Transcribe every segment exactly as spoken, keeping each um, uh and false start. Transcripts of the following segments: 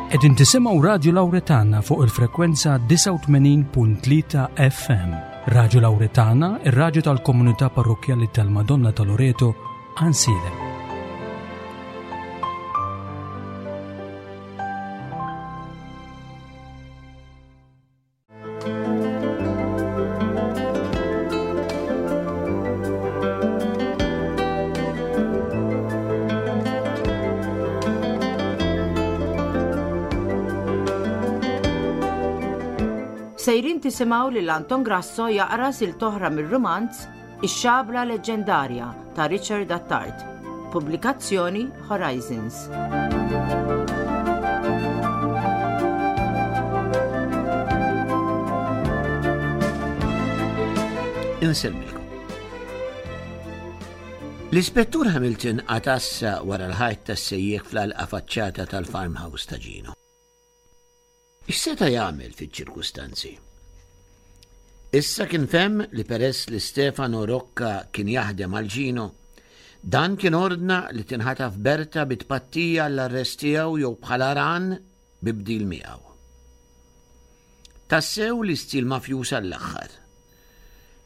Qegħdin tisimgħu Radju Lawretana fuq il-frekwenza disgħa u tmenin punt tlieta F M. Radju Lawretana, ir-radju tal-Komunità Parrokkjali tal-Madonna ta' Loreto, Għajnsielem. Sejrin tisimgħu lil Anton Grasso jaqra silta oħra mir-rumanz Ix-Xabla Leġġendarja ta' Richard Attard. Pubblikazzjoni Horizons. Insellmilkom. L-Ispettur Hamilton għadd wara l-ħajt tas-sejjieħ fl-għalqa faċċata tal-farmhouse ta' Gino. X'seta' jagħmel fiċ-ċirkustanzi? Issa kien fehem li peress li Stefano Rocca kien jaħdem għal Gino, dan kien ordna li tinħataf Berta bi tpattija l-arrest tiegħu jew bħala rahan bi bdil miegħu. Tassew li stil mafjuż għall-aħħar.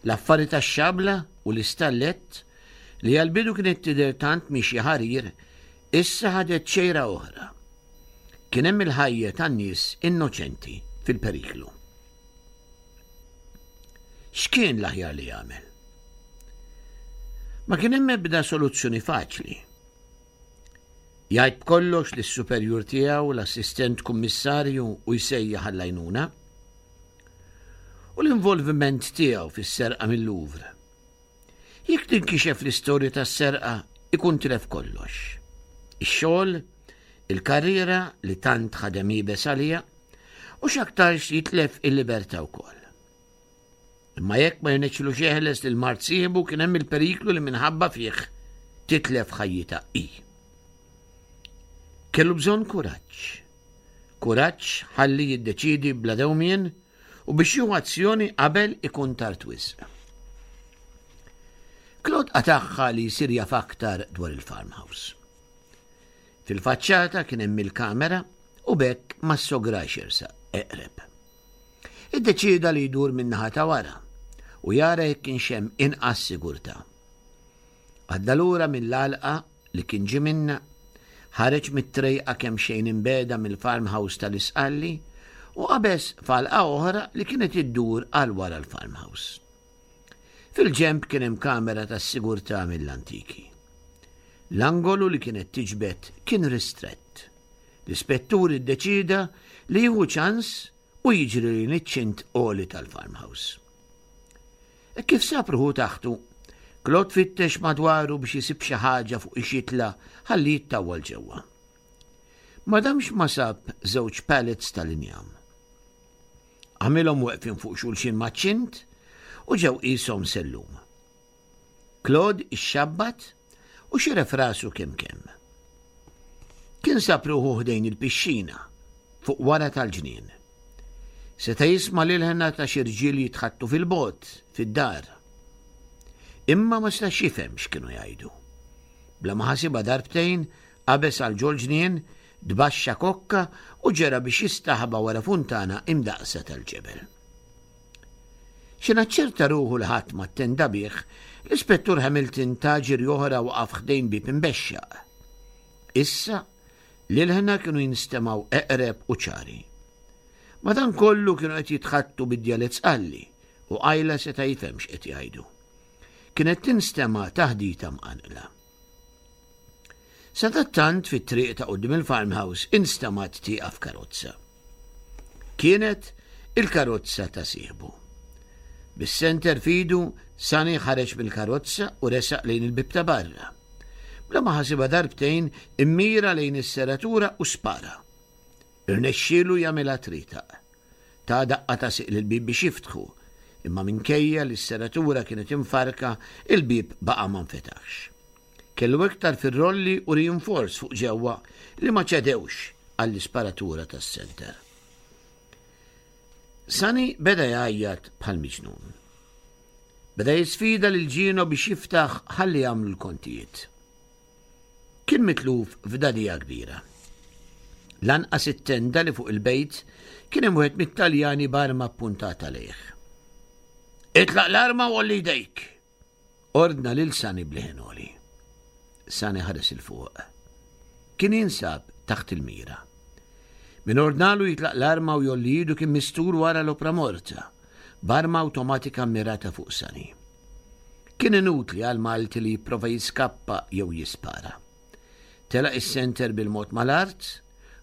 L-affari tax-xabla u l-istallett li għal-bidu kienet tidher tant mixi ħarir, issa ħadet xejra oħra. Kien hemm il-ħajja tan-nies innoċenti fil-periklu. X'kien l-aħjar li jagħmel? Ma kien hemm ebda soluzzjoni faċli. Jgħid kollox lis-superjur tiegħu, l-assistent kummissarju, u jsejjaħ għall-għajnuna. U l-involviment tiegħu fis-serqa mill-Louvre. Jekk tinkixef l-istorja tas-serqa, ikun tilef kollox. Ix-xogħol, il-karriera li tant ħadem iebes għalija, u x'aktarx jitlef il-libertà wkoll. Imma jekk ma jirnexxilux jeħles lil mart sieħbu, kien hemm il-periklu li minħabba fih titlef ħajjitha hi. Kellu bżonn kuraġġ. Kuraġġ ħalli jiddeċidi bla dewmien u biex jieħu azzjoni qabel ikun tard wisq. Claude qatagħha li jsir jaf aktar dwar il-farmhouse. Fil-faċċata kien hemm il-kamera u b'hekk ma ssograx jersaq eqreb. Iddeċida li jdur min-naħa ta' wara u jara jekk kienx hemm inqas sigurtà. Għadda lura mill-għalqa li kien ġie minnha, ħareġ mit-trejqa kemm xejn imbiegħda mill-farmhouse tal-Isqalli u qabeż f'għalqa oħra li kienet iddur għal wara l-farmhouse. Fil-ġemp kien hemm kamera tas-sigurtà mill-antiki. L-angolu li kienet tiġbed kien ristrett. L-ispettur iddeċida li jieħu ċans u jiġri lejn iċ-ċint għoli tal-farmhouse. E kif sab ruħu taħtu, Claude fittex madwaru biex jisib xi ħaġa fuq xiex jitla' ħalli jittawwal ġewwa. Ma damx ma sab żewġ pallets tal-injam. Għamilhom weqfin fuq xulxin maċ-ċint u ġew qishom sellum. Claude ixxabbat u xeref rasu kemm kemm. Kien sab ruħu ħdejn il-pixxina fuq wara tal-ġnien. Seta' jisma' l-ilħna ta' xi rġiel jitħaddtu fil-bogħod fid-dar. Imma ma setax jifhem x'kienu jgħidu. Bla ma ħasibha darbtejn, qabeż għal ġol-ġnien, tbaxxa kokka u ġera biex jistaħba wara funtana imdaqsa tal-ġebel. Xi naċċerta ruħu li ħadd ma ttenda bih, l-Ispettur Hamilton ta ġirja oħra waqaf ħdejn bib imbexxaq. Issa, l-ilħna kienu jinstemgħu eqreb u ċari. Madankollu kienu qed jitħaddtu bid-djalett Sqalli u qajla seta' jifhem x'qed jgħidu. Kienet tinstema' taħdita mqanqla. Sadattant, fit-triq ta' quddiem il-farmhouse instemgħet tieqaf karozza. Kienet il-karozza ta' sieħbu. Bis-senter f'idu, Sani ħareġ mill-karozza u resaq lejn il-bib ta' barra. Bla ma ħasibha darbtejn, immira lejn is-serratura u spara. Irnexxielu jagħmilha tritaq. Ta daqqa ta' sieq lill-bib biex jiftħu, imma minkejja li s-serratura kienet imfarka, il-bib baqa' ma nfetaħx. Kellu iktar fir-rolli u reinforce fuq ġewwa li ma ċedewx għall-isparatura tas-senter. Sani beda jgħajjat bħal miġnun. Beda jisfida lil Gino biex jiftaħ ħalli jagħmlu l-kontijiet. Kien mitluf f'dagħdigħa kbira. Lanqas it-tenda li fuq il-bejt kien hemm wieħed mit-Taljani b'arma ppuntata lejh. Itlaq l-arma u għolli jdejk! Ordna lil Sani b'leħen għoli. Sani ħares 'il fuq. Kien jinsab taħt il-mira. Min ordnalu jitlaq l-arma u jgħolli idu kien mistur wara l-opra morta, b'arma awtomatika mmirata fuq Sani. Kien inutli għal Malti li jipprova jiskappa jew jispara. Telaq is-senter bil-mod mal-art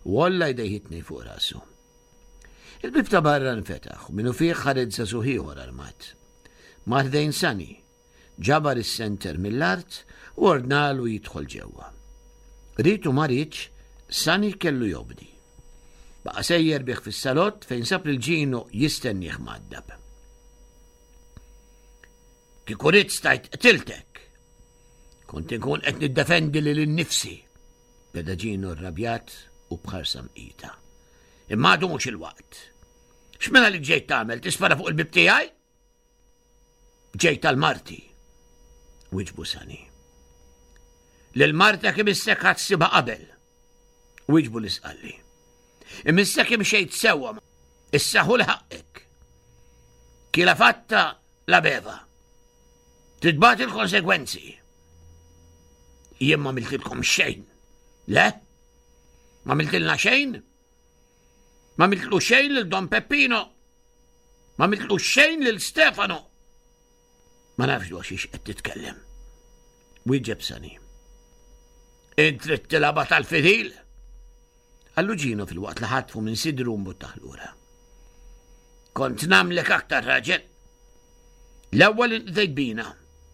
u għolla jdejh it-tnejn fuq rasu. Il-bieb ta' barra nfetaħ u minnufih ħareġ żagħżugħ ieħor armat. Mar ħdejn Sani, ġabar is-senter mill-art u ordnalu jidħol ġewwa. Ried u ma riedx, Sani kellu jobdi. Baqa' sejjer bih fis-salott fejn sab lil Gino jistennieh mgħaddab. Kieku ridt stajt qtiltek. Kont inkun qed niddefendi lili nnifsi, beda Gino rrabjat u b'ħarsa mqita. Imma għadu mhux il-waqt. X'minn għalik ġejt tagħmel, tispara fuq il-bieb tiegħi? Ġejt għal marti, wieġbu Sani. Lil martek imissek ħa ssibha qabel, wieġbu l-Isqalli. Imissek imxejt sewwa, issa ħu ħaqqek. Chi l'ha fatta la beva. Trid tbati l-konsegwenzi. Jien ma għamiltilkom xejn. Le? Ma għamiltilna xejn? Ma għamiltlu xejn lil Don Peppino? Ma għamiltlu xejn lil Stefano? Ma nafx dwar xiex qed titkellem. Wieġeb Sani. Int trid tilgħabha tal-fidil? Qallu Gino fil-waqt li ħatfu minn sidru mbuttaħ lura. Kont nagħmlek aktar raġel. L-ewwel inqdejt bina,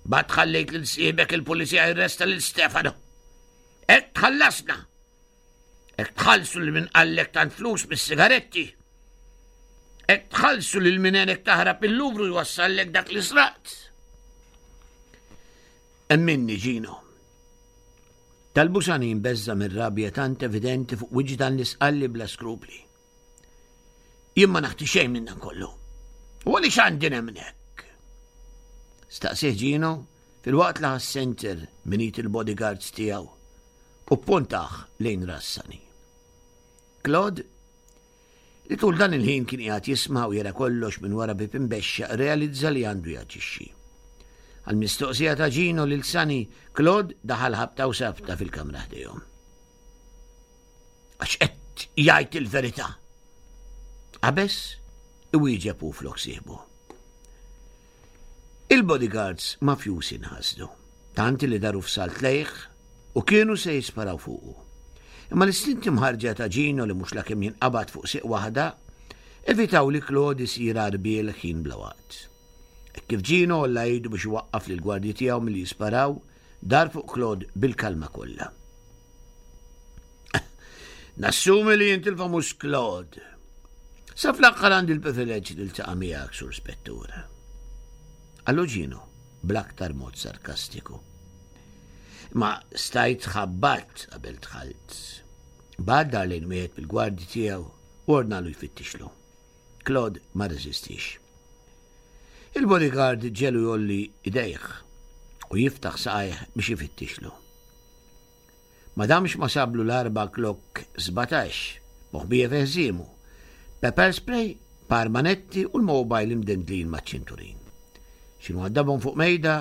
bad ħallejt lil siebek il-pulizija jirresta lil Stefano. Hekk tħallasna. Hekk tħallsu lil min qallek tant flus mis-sigaretti. Hekk tħallsu lil min għenek taħrab il-Luvru jwassallek dak li sraqt. Emminni Gino. Talbu Sani mbeżża' mir-rabja tant evidenti fuq wiċċ dan l-Isqalli bla skrupli. Jien ma naħti xejn minn dan kollu. U għaliex għandi nemmnek? Staqsieh Gino filwaqt li ħa s-senter minn id il-bodyguards tiegħu u ppuntah lejn ras Sani. Claude, li tul dan il-ħin kien qiegħed jisma' u jara kollox minn wara bieb imbexxaq, realizza li għandu jaġixxi. Għal-mistoqsija ta' Gino lil Sani, Claude daħal ħabta u sabta fil-kamra ħdejhom. Għax qed jgħid il-verità. Qabeż iwieġeb hu flok sieħbu. Il-bodyguards mafjusi nħasdu, tant li daru f'salt lejh u kienu se jisparaw fuqu. Imma l-istinti mħarġa ta' Gino li mhux lakemm jinqabad fuq siq waħda, evitaw li Claude isir għarbiel ħin bla waqt. Hekk kif Gino għolla idu biex iwaqqaf lill-gwardji tiegħu milli jisparaw, dar fuq Claude bil-kalma kollha. Nassumi li int il-famuż Claude. Sa fl-aħħar għandi l-privileġġ li ltaqa' miegħek, Sur Spettur. Qallu Gino bl-aktar mod sarkastiku. Ma stajt ħabbat qabel dħalt. Bad dar lejn wieħed bil-gwardji tiegħu u ordnalu jfittixlu. Claude ma reżistix. Il-bodyguard ġelu jgħolli idejh u jiftaħ saqajh biex ifittixlu. Ma damx ma sablu l-arba Glock sbatax, moħbija fi ħżiemu, pepper spray, par manetti u l-mobile imdendlin maċ-ċinturin. X'inhu għaddabhom fuq mejda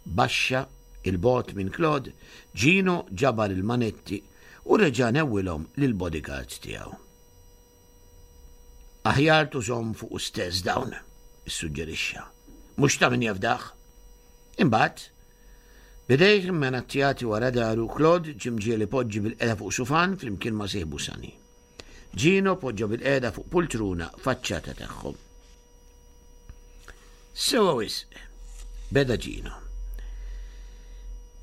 baxxa il-bogħod minn Claude, Gino ġabar il-manetti u reġa' newwilhom lill-bodyguards tiegħu. Aħjar tużhom fuq stess dawn, issuġġerixxa. Mhux ta' min jafdah. Imbagħad, bidejh immenattjati wara daru, Claude ġie mġiegħel ipoġġi bil-qiegħda fuq sufan flimkien ma' sieħbu Sani. Gino poġġa bil-qiegħda fuq pultruna faċċata tagħhom. Sewa wisq, beda Gino.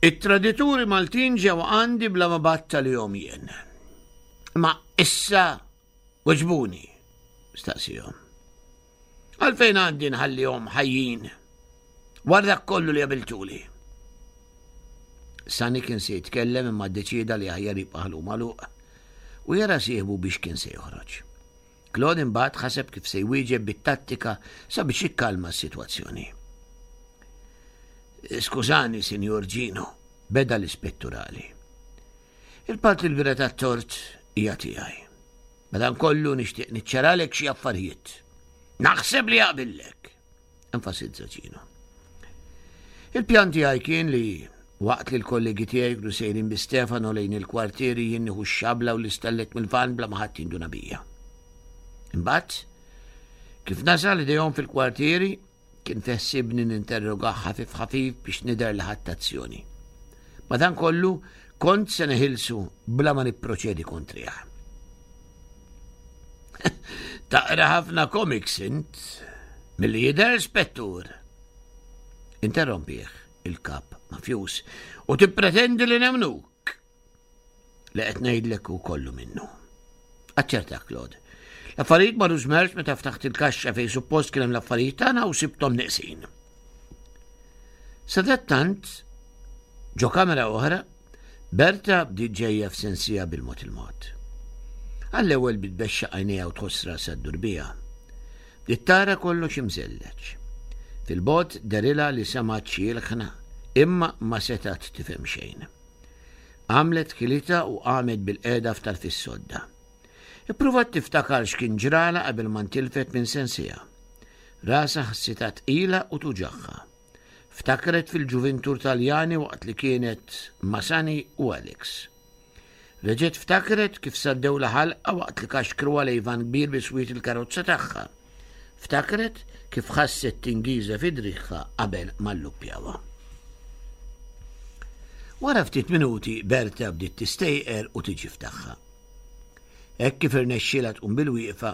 It-tradituri Maltin ġew għandi bla ma batta li jom jien. Ma issa weġbuni, staqsihom. Għalfejn għandi nħallihom ħajjin wara dak kollu li għamiltuli? Sani kien se jitkellem imma ddeċieda li aħjar jibqa' ħalqu magħluq u jara sieħbu biex kien se joħroġ. Claude imbagħad ħaseb kif se jwieġeb bit-tattika sabiex jikkalma s-sitwazzjoni. Skużani, Sinjur Gino, beda l-ispetturali. Il-parti l-kbira tat-tort hija tiegħi. Madankollu nixtieq niċċaralek xi affarijiet. Naħseb li jaqbillek, enfasizza Gino. Il-pjan tiegħi kien li waqt li l-kollegi tiegħi kienu sejrin bi Stefano lejn il-kwartieri jien nieħu x-xabla u l-istellet mill-van bla ma ħadd jinduna bija. Imbagħad, kif nasal idejhom fil-kwartieri, kien feħsibni ninterrogah ħafif ħafif biex nidher li ħadt azzjoni. Madankollu kont se neħilsu bla ma nipproċedi kontrih. Taqra ħafna comics int, milli jidher, spettur. Interrompih il-kap mafjus u tippretendi li nemnuk. Li qed ngħidlek hu kollu minnu. Aċċertak, Claude. L-affarijiet marru żmerġ meta ftaħt il-kaxxa fejn suppost kien hemm l-affarijiet tagħna u sibthom neqsin. Sadattant, ġo kamera oħra, Berta bdiet ġejja f'sensija bil-mod il-mod. Għall-ewwel bdiet tbexxaq għajnejha u tħoss rasha ddur biha. Bdiet tara kollox imżelleġ. Fil-bogħod dehrilha li semgħet xi ilħna, imma ma setgħet tifhem xejn. Għamlet ħilitha u qamet bil-qiegħda f'tarf is-sodda. Ippruvat tiftakar x'kien ġralha qabel ma ntilfet minn sensiha. Rasha ħassitha tqila u tuġagħha. Ftakret fil-ġuvintur Taljani waqt li kienet ma' Sani u Alex. Reġgħet ftakret kif saddewlha ħalqha waqt li kaxkruha lejn van kbir biswit il-karozza tagħha. Ftakret kif ħasset tingiża fi driegħha qabel ma lluppjawha. Wara ftit minuti Berta bdiet tistejqer u tiġi f'tagħha. Hekk kif irnexxielha tqum bil-wieqfa,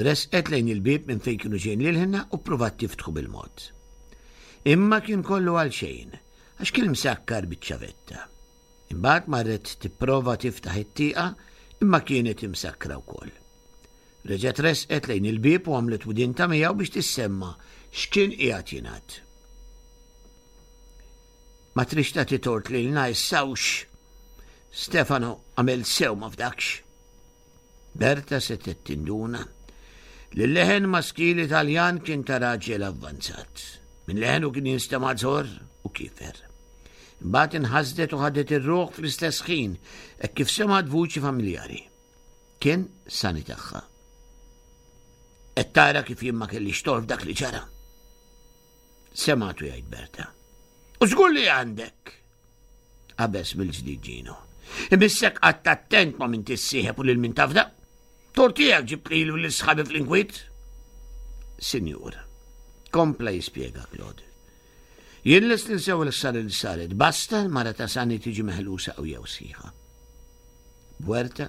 resqet lejn il-bieb minn fejn kienu ġejjin lil-ħna u ppruvat tiftħu bil-mod. Imma kien kollu għal xejn, għax kien msakkar biċ-ċavetta. Imbagħad marret tipprova tiftaħ it-tieqa imma kienet imsakkra wkoll. Reġgħet resqet lejn il-bieb u għamlet widinta miegħu biex tissemma x'kien qiegħed jingħad. Ma trix tagħti tort lilna issa hux. Stefano għamel sew ma fdakx. Berta setgħet tinduna li l-leħen maskili Taljan kien ta' raġel avvanzat. Minn leħenu kien jinstema' żor u kifer. Imbagħad inħasdet u ħadet ir-ruħ fl-istess ħin hekk kif semgħet vuċi familjari. Kien Sani tagħha. Qed tara kif jien ma kellix tort f'dak li ġara. Semgħatu jgħid Berta. U żgur li għandek. Qabeż mill-ġdid Gino. Imissek qatt attent ma' min tissieħeb u lil min tafda. Tort tiegħek ġibt lili u lil sħabi fl-inkwiet. Sinjur, kompla jispjega Claude. Jien lest ninsew il-ħsara li saret, basta l-mara ta' Sani tiġi meħlusa u jew sħiħa. Bwerta,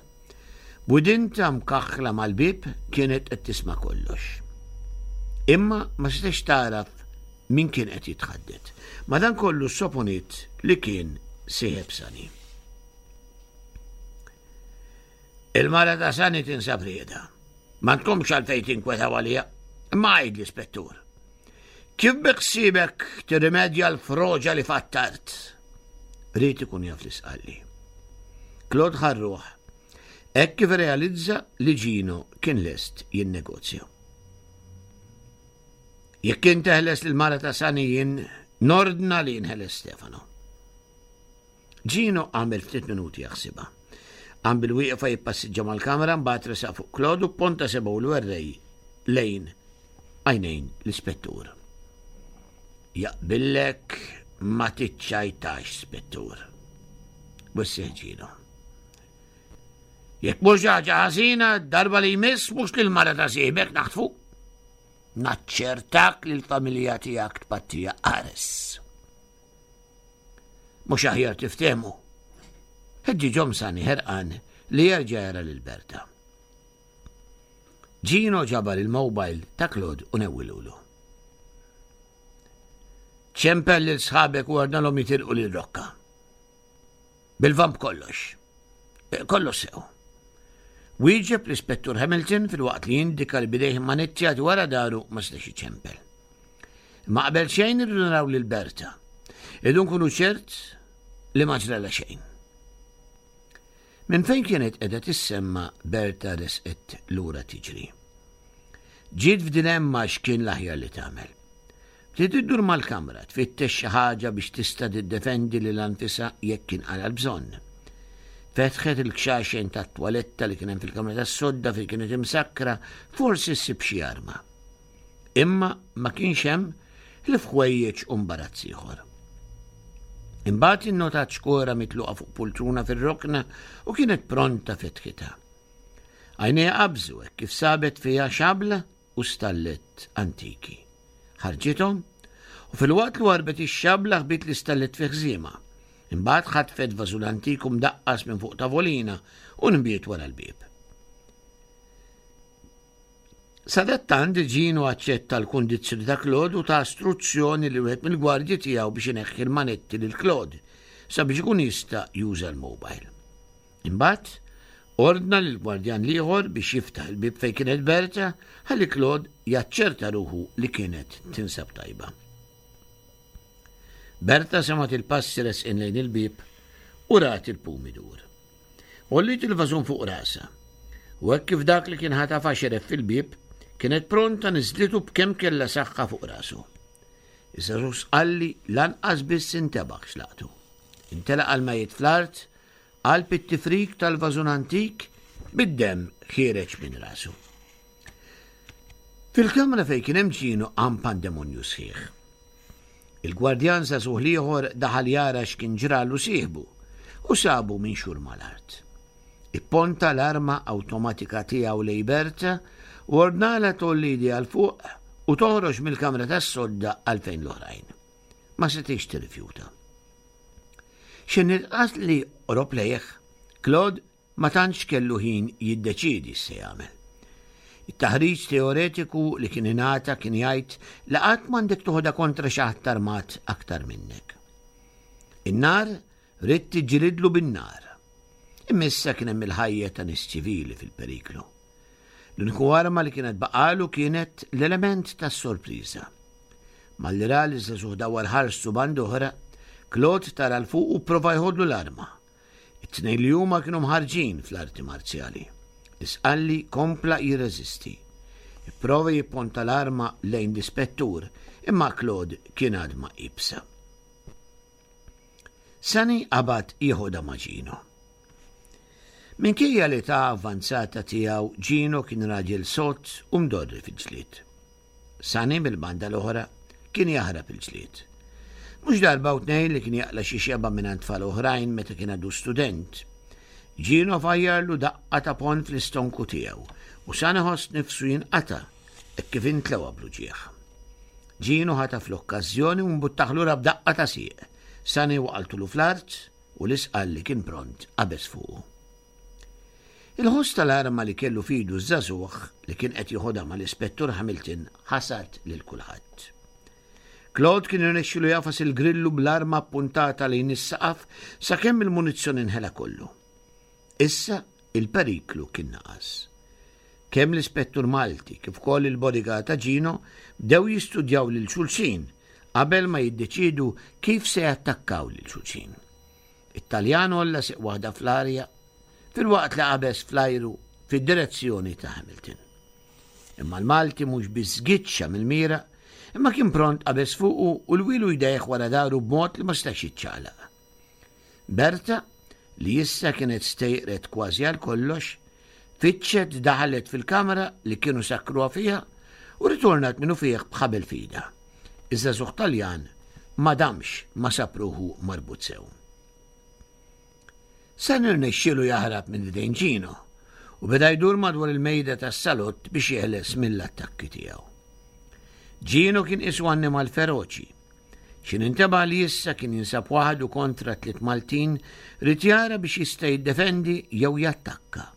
b'widinta mkaħħla mal-bieb kienet qed tisma' kollox. Imma ma setax taraf min kien qed jitħaddet. Madankollu soponiet li kien sieħeb Sani. Il-mara ta' Sani tinsab rieda. M'għandkomx għalfejn tinkwetaw għalija. Imma għid l-ispettur. Kif biħsiebek tirrimedja l-froġa li fattart? Ried ikun jaf l-isqalli. Claude ħarruħ. Hekk kif realizza li Gino kien lest jinnegozja. Jekk int teħles lil mara ta' Sani jien nordna li jinħeles Stefano. Gino għamel ftit minuti jaħsibha. Qam bil-wieqfa jippassiġġa mal-kamra mbagħad resaq fuq Claude u ponta sebgħu l-werrej lejn għajnejn l-ispettur. Jaqbillek ma tiċċajtax, spettur. Wissih Gino. Jekk mhux ħaġa ħażina, darba li jmiss mhux lil mara ta' sieħbek naħtfu. Naċċertak li l-familja tiegħek tpattija qares. Mhux aħjar tiftehmu. Ħeġġiġhom Sani ħerqan li jerġa' jara lil Berta. Gino ġabar il-mobile ta' Claude u newwilulu. Ċempel lil sħabek u ordnalhom jitilqu lil Rocca. Bil-vamp kollox. Kollox sew. Wieġeb l-Ispettur Hamilton filwaqt li jindika li bidejh manittjati wara daru ma setax iċempel. Imma qabel xejn irridu naraw lil Berta. Irridu nkunu ċert li ma ġralha xejn. Minn fejn kienet qiegħda tissemma Berta resqet lura tiġri. Ġiet f'dilemma x'kien l-aħjar li tagħmel. Bdiet iddur mal-kamra tfittex xi ħaġa biex tista' tiddefendi lil anfisha jekk kien qala l-bżonn. Fetħet il-kxaxen tat-twaletta li kien hemm fil-kamra tas-sodda fejn kienet imsakkra, forsi ssib xi arma. Imma ma kienx hemm ħlief ħwejjeġ u mbarazz ieħor. Imbagħad innotat xkora mitluqa fuq pultruna fir-rokna u kienet pronta fetħitha. Għajnejha qabżu hekk kif sabet fiha xabla u stallet antiki. Ħarġithom u filwaqt li warbet ix-xabla ħbiet l-istallet fi ħżiema. Imbagħad ħatfet vażun antiku mdaqqas minn fuq tavolina u nbiet wara l-bieb. Sadattant Gino aċċetta l-kundizzjoni ta' Claude u ta istruzzjoni li wieħed mill-gwardji tiegħu biex ineħħi l-manetti lil Claude sabiex ikun jista' juża l-mobile. Imbagħad ordna lil gwardjan l-ieħor biex jiftaħ il-bieb fejn kienet Berta ħalli Claude jaċċerta ruħu li kienet tinsab tajba. Berta semgħet il-passi resqin lejn il-bieb u rat il-pum idur. Għolliet il-vażun fuq rasha. U hekk kif dak li kien ħatafa xeref fil-bieb, kienet pronta niżlitu b'kemm kellha saħħa fuq rasu. Iż-żagħżugħ Sqalli lanqas biss intebaħ x'laqtu. Intelaq għal-mejjet fl-art, qalb it-tifrik tal-vażun antik bid-demm ħiereġ minn rasu. Fil-kamra fejn kien hemm Gino qam pandemonju sħiħ. Il-gwardjan żagħżugħ l-ieħor daħal jara x'kien ġralu sieħbu u sabu minxur mal-art. Ipponta l-arma awtomatika tiegħu lejn Berta u ordnalha tgħolli idejha 'l fuq u toħroġ mill-kamra tas-sodda għal fejn l-oħrajn. Ma setgħetx tirrifjuta. X'ħin il-qatl li qrob lejh, Claude ma tantx kellu ħin jiddeċiedi x'se jagħmel. It-taħriġ teoretiku li kien ingħata kien jgħid li qatt m'għandek toħodha kontra xi ħadd armat aktar minnek. In-nar ridt tiġġilidlu bin-nar. Imma issa kien hemm il-ħajja ta' nies ċivili fil-periklu. L-uniku arma li kienet baqalu kienet l-element tas-sorpriża. Malli ra li żagħżugħ dawwar ħarstu band'oħra, Claude tara 'l fuq u prova jħodlu l-arma. It-tnejn li huma kienu mħarrġin fl-arti marzjali. L-Isqalli kompla jirreżisti. Ipprova jipponta l-arma lejn l-ispettur, imma Claude kien għadma iebsa. Sani qabad jieħodha ma' Gino. Minkejja l-età avvanzata tiegħu, Gino kien raġel sod u mdorri fil-ġlied. Sani mill-banda l-oħra kien jaħrab il-ġlied. Mhux darba u tnejn li kien jaqla' xi xebgħa minn tfal oħrajn meta kien għadu student. Gino fajjarlu daqqa ta' ponn fl-istonku tiegħu u Sani ħoss nifsu jinqata' hekk kif intlewa bl-uġigħ. Gino ħataf l-okkażjoni u mbuttah lura b'daqqa ta' sieq. Sani waqaltulu fl-art u l-Isqalli kien pront qabeż fuqu. Il-ħoss tal-arma li kellu f'idu ż-żagħżugħ li kien qed joħodha mal-Ispettur Hamilton ħasad lil kulħadd. Claude kien irnexxielu jagħfas il-grillu bl-arma ppuntata lejn is-saqaf sakemm il-munizzjon inħela kollu. Issa il-periklu kien naqas. Kemm l-Ispettur Malti kif ukoll il-bodyguard ta' Gino bdew jistudjaw lil xulxin qabel ma jiddeċidu kif se jattakkaw lil xulxin. It-Taljan għolla sieq waħda fl-arja filwaqt li qabeż fl-ajru fid-direzzjoni ta' Hamilton. Imma l-Malti mhux biss żgiċċa mill-mira, imma kien pront qabeż fuqu u lwielu jdejh wara dahru b'mod li ma setax jiċċaqlaq. Berta, li issa kienet stejqret kważi għal kollox, fitxet daħlet fil-kamra li kienu sakkruha fiha u ritornat minnufih b'ħabel f'idha. Iż-żagħżugħ Taljan ma damx ma sab ruħu marbut sew. Sani rnexxielu jaħrab minn idejn Gino u beda jdur madwar il-mejda tas-salott biex jeħles mill-attakki tiegħu. Gino kien qisu annimal feroċi. X'ħin intebaħ li issa kien jinsab waħdu kontra tliet Maltin ried jara biex jista' jiddefendi jew jattakka.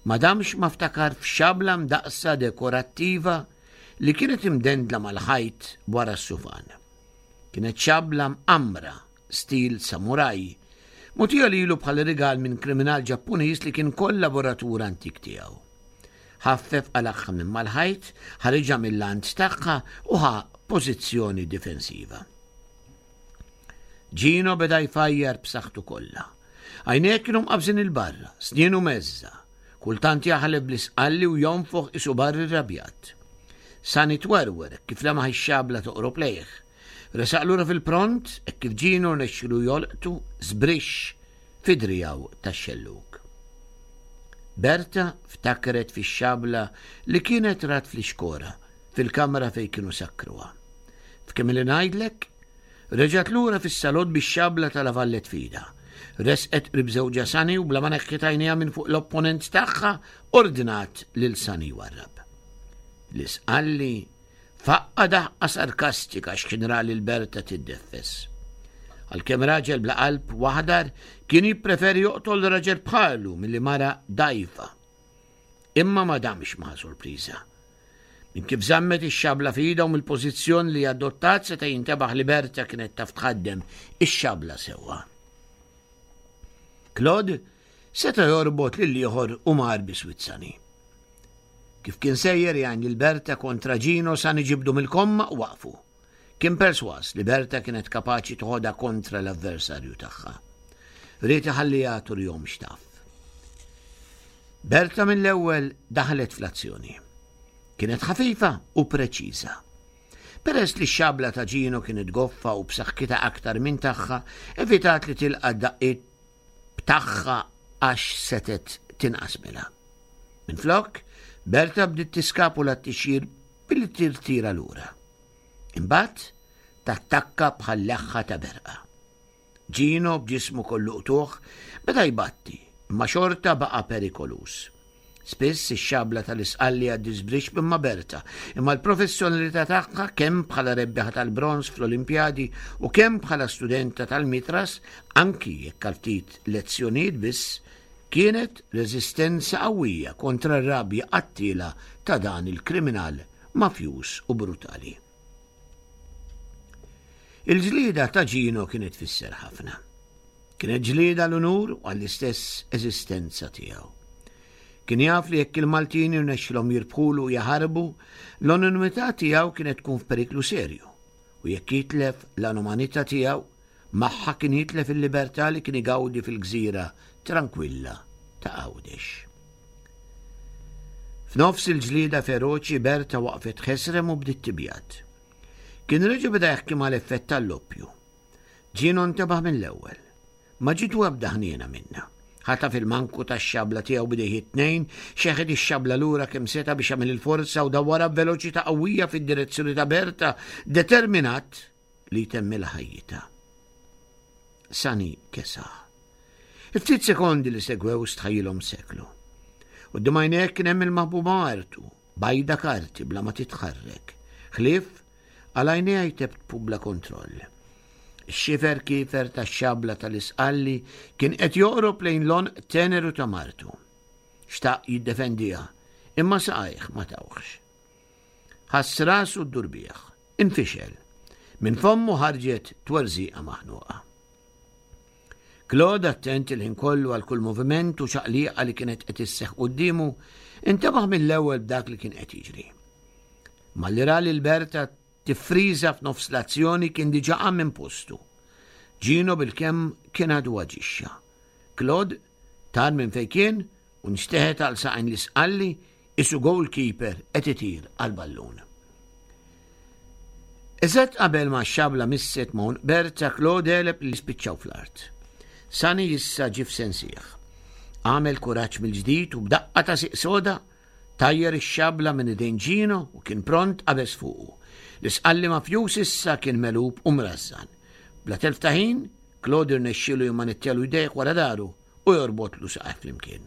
Ma damx ma ftakar f'xabla mdaqsa dekorattiva li kienet imdendla mal-ħajt wara s-sufan. Kienet xabla mqamra stil samuraj, mogħtija lilu bħala rigal minn kriminal Ġappuniż li kien kollaboratur antik tiegħu. Ħaffef qalagħha minn mal-ħajt, ħariġha mill-lant tagħha u ħa pożizzjoni difensiva. Gino beda jfajjar b'saħħtu kollha. Għajnejh kienu mqabżin 'il barra, snienu meżża, kultant jaħlef bl-Isqalli u jonfoħ qisu barri rrabjat. Sani twerwer kif lemaħ ix-xabla toqrob lejh. Resaq lura fil-pront hekk kif Gino rnexxielu jolqtu żbrixx fi driegħu tax-xellug. Berta ftakret fix-xabla li kienet rat fl-ixkora fil-kamra fejn kienu sakkruha. F'kemm li ngħidlek, reġgħet lura fis-salott bix-xabla ta' La Valette f'idha. Resqet qrib żewġha Sani u bla ma neħħiet għajnejha minn fuq l-opponent tagħha ordnat lil Sani jwarrab. L-Isqalli faqqa' daħqa sarkastika x'kien ra lil Berta tiddeffes. Għalkemm raġel bla qalb u aħdar kien jippreferi joqtol raġel bħalu milli mara dgħajfa. Imma ma damx ma sorpriża. Minn kif żammet ix-xabla f'idha u mill-pożizzjoni li adottat seta' jintebaħ li Berta kienet taf tħaddem ix-xabla sewwa. Claude seta' jorbot lil ieħor u mar biswit Sani. Kif kien sejjer jgħin lil Berta kontra Gino, Sani ġibdu mill-komma u waqfu. Kien perswas li Berta kienet kapaċi toħodha kontra l-avversarju tagħha. Ried iħalliha turihom x'taf. Berta mill-ewwel daħlet fl-azzjoni. Kienet ħafifa u preċiża. Peress li x-xabla ta' Gino kienet goffa u b'saħħitha aktar minn tagħha, evitat li tilqa' daqqiet b'tagħha għax setgħet tinqasmilha. Minflok, Berta bdiet tiskapula t-tixjir billi tirtira lura. Imbagħad tattakka bħal leħħa ta' berqa. Gino b'ġismu kollu qtugħ beda jbatti, imma xorta baqa' perikoluż. Spiss ix-xabla tal-Isqalli għaddiet żbrixx minn ma' Berta, imma l-professjonalità tagħha kemm bħala rebbieħa tal-bronż fl-Olimpjadi u kemm bħala studenta tal-Mitras, anki jekk għal ftit lezzjonijiet biss, kienet reżistenza qawwija kontra r-rabja qattiela ta' dan il-kriminal mafjuż u brutali. Il-ġlieda ta' Gino kienet tfisser ħafna. Kienet ġlieda l-unur u għall-istess eżistenza tiegħu. Kien jaf li jekk il-Maltin jirnexxilhom jirbħulu u jaħarbu, l-anonimità tiegħu kienet tkun f'periklu serju u jekk jitlef l-anonimità tiegħu, magħha kien jitlef il-libertà li kien igawdi fil-gżira tranquilla ta' Għawdex. F'nofs il-ġlieda feroċi Berta waqfet ħesrem u bdiet tibjad. Kien reġa' beda jaħkimha l-effett tal-loppju. Gino ntebaħ mill-ewwel. Ma ġietu ebda ħniena minnha. Ħataf il-manku tax-xabla tiegħu b'idejh it-tnejn, xeħet ix-xabla lura kemm seta' biex jagħmel il-forza u dawwarha b'veloċità qawwija fid-direzzjoni ta' Berta, determinat li jtemmilha ħajjitha. Sani kesaħ. Il-ftit sekondi li segwew stħajjilhom seklu. Quddiem għajnejh kien hemm il-maħbuba martu, bajda karti bla ma titħarrek. Ħlief għal għajnejha jtebtbu bla kontroll. Ix-xifer kiefer tax-xabla tal-Isqalli kien qed joqrob lejn l-għonq teneru ta' martu. Xtaq jiddefendiha, imma saqajh ma tawhx. Ħass rasu ddur bih, infixel. Minn fommu ħarġet twerżiqa maħnuqa. Claude, attent il-ħin kollu għal kull moviment u ċaqliqa li kienet qed isseħħ quddiemu, intebaħ mill-ewwel b'dak li kien qed jiġri. Malli ra lil Berta tiffriża f'nofs l-azzjoni kien diġà qam minn postu. Gino bilkemm kien għadu aġixxa. Claude tar minn fejn kien u nxteħet għal saqajn l-Isqalli isu goalkeeper qed itir għal ballun. Eżatt qabel ma x-xabla misset ma' għonq Berta, Claude għeleb li spiċċaw fl-art. Sani issa ġie f'sensih. Għamel kuraġġ mill-ġdid u b'daqqa ta' siq soda tajjer ix-xabla minn idejn Gino u kien pront qabeż fuqu. L-Isqalli mafjus issa kien megħlub u mrażżan. Bla telf ta' ħin, Claude irnexxielu jimmanettjalu jdejh wara daru u jorbotlu saqajh flimkien.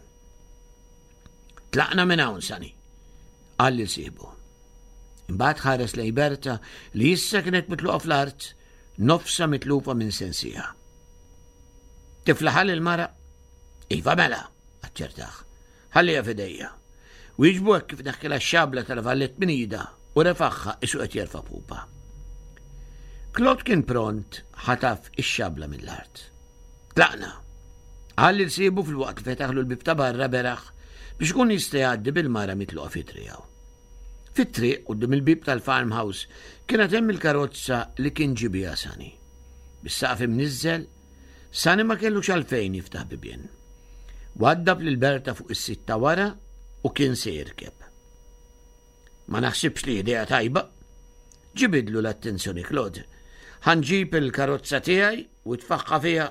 Tlaqna minn hawn, Sani, qal lil sieħbu. Imbagħad ħares lejn Berta li issa kienet mitluqa fl-art, nofsa mitlufa minn sensiha. Tiflaħal il-mara? Iva mela, aċċertah. Ħallija f'idejja. Wieġbu hekk kif neħħilha x-xabla tal-vallet minn idha u refaħħa isu qed jerfa' pupa. Claude kien pront ħataf ix-xabla mill-art. Tlaqna. Qal lil sieħbu fil-waqt li fetaħlu l-bib ta' barra beraħ biex ikun jista' jgħaddi bil-mara mitluqa fit-triq. Fit-triq quddiem il-bib tal-farmhouse kienet hemm il-karozza li kien ġie biha Sani. Bis-saqaf imniżżel, Sani ma kellux għalfejn jiftaħ bibien. Waddab lil Berta fuq is-sit ta' wara u kien se jirkeb. Ma naħsibx li idea tajba. Ġibidlu l-attenzjoni Claude. Ħa nġib il-karozza tiegħi u tfaħħa fiha.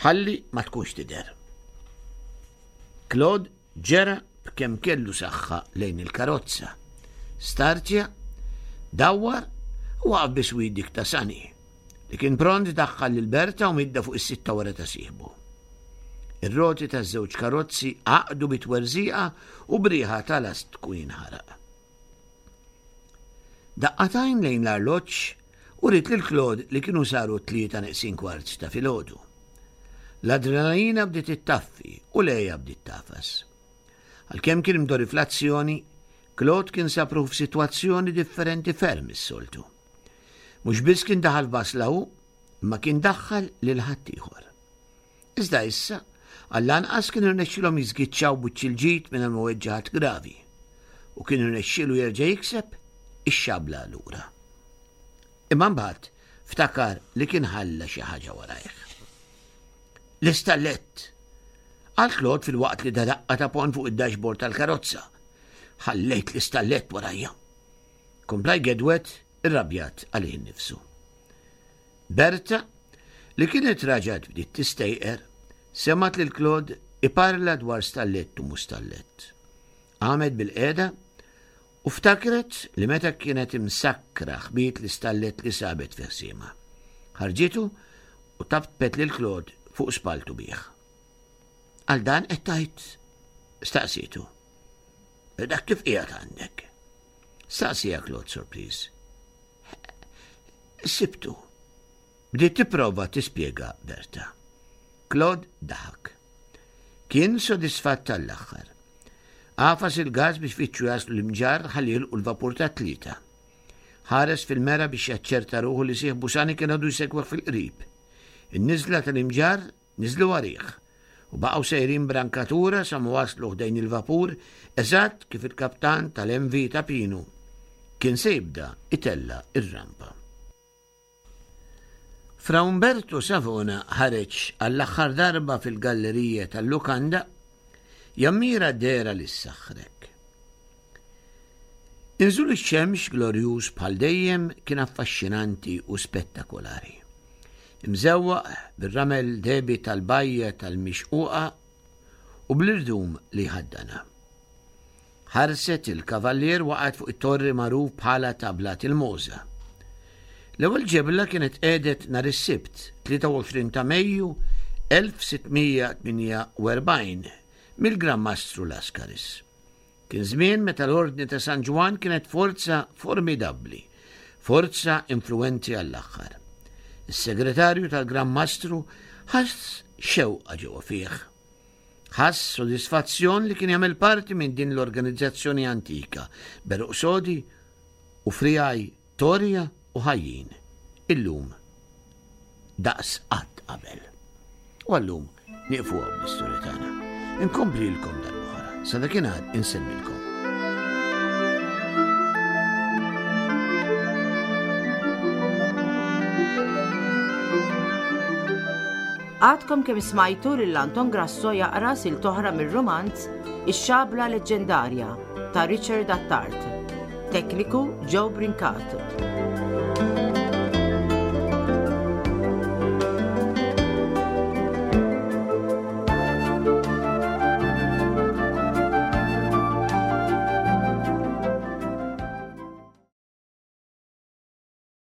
Ħalli ma tkunx tidher. Claude ġera b'kemm kellu saħħa lejn il-karozza. Startja, dawwar u waqaf biswit dik ta' Sani, li kien pront daħħal lil Berta u midda fuq is-sitta wara ta' sieħbu. Ir-roti taż-żewġ karozzi għaqdu bi twerżiqa u b'riħa ta' lastku jinħaraq. Daqqa t'għajn lejn l-arloġġ uriet lil Claude li kienu saru t-tlieta neqsin kwart ta' filgħodu. L-adrenalina bdiet ittaffi u l-għeja bdiet tagħfas. Għalkemm kien imdorri fl-azzjoni, Claude kien sab ruħu f'sitwazzjoni differenti ferm mis-soltu. Mhux biss kien daħal f'basla hu, imma kien daħħal lil ħaddieħor. Iżda issa, għall-anqas kien irnexxilhom jiżgiċċaw b'wiċċ il-ġid mingħajr ma weġġa' ħadd gravi u kien irnexxielu jerġa' jikseb ix-xabla lura. Imma mbagħad ftakar li kien ħalla xi ħaġa warajh. L-istallett! Qal Claude filwaqt li da daqqa ta' ponn fuq id-dashboard tal-karozza. Ħallejt l-istallett warajja. Kompla jgedwet irrabjat għalih innifsu. Berta, li kienet raġat bdiet tistejqer, semgħet lil Claude iparla dwar stallett u mustallett. Qamet bil-qiegħda u ftakret li meta kienet imsakkra ħbiet l-istallett li sabet fi ħsiemha. Ħarġitu u taptpet lil Claude fuq spaltu bih. Għal dan qed tgħid? Staqsietu. Dak kif qiegħed għandek? Staqsieha Claude sorpriż. Sibtu. Bdiet tipprova tispjega Berta. Claude daħak. Kien sodisfatt tal-aħħar. Għafas il-gas biex fittxu jaslu l-Imġarr ħalli jilqu l-vapur ta' tlieta. Ħares fil-mera biex jaċċerta ruħu li sieħbu Sani kien għadu jsegwih fil-qrib. In-niżla tal-Imġarr niżlu warih u baqgħu sejrin brankatura sa ma waslu ħdejn il-vapur eżatt kif il-kaptan tal-M V ta' Pinu kien se jibda itella ir-rampa. Fra Umberto Savona ħareġ għall-aħħar darba fil-gallerija tal-lukanda jammira dehra li ssaħħrek. Inżul ix-xemx glorjuż bħal dejjem kien affaxxinanti u spettakolari. Imżewwaq bir-ramel dehbi tal-bajja tal-mixquqa u bl-irdum li ħaddana. Ħarset il-kavallier waqgħet fuq it-torri magħruf bħala ta' Blat il-Moża. L-ewwel ġebla kienet qiegħdet nhar is-Sibt, tlieta u għoxrin ta' Mejju elf sittmija tmienja u erbgħin mill-Gran Mastru Lascaris. Kien żmien meta l-Ordni ta' San Ġwann kienet forza formidabbli, forza influenti għall-aħħar. Is-segretarju tal-Gran Mastru ħass xewqa ġewwa fih. Ħass sodisfazzjon li kien jagħmel parti minn din l-organizzazzjoni antika, beruq sodi u frijaj torja u ħajjin, illum daqs qatt qabel. U għallum nieqfu hawn bl-istorja tagħna. Inkomplilkom darb'oħra. Sa dakinhar insellmilkom. Għadkom kemm smajtu lil Anton Grasso jaqra silta oħra mir-romanz Ix-Xabla Leġġendarja ta' Richard Attard. Tekniku Joe Brincat.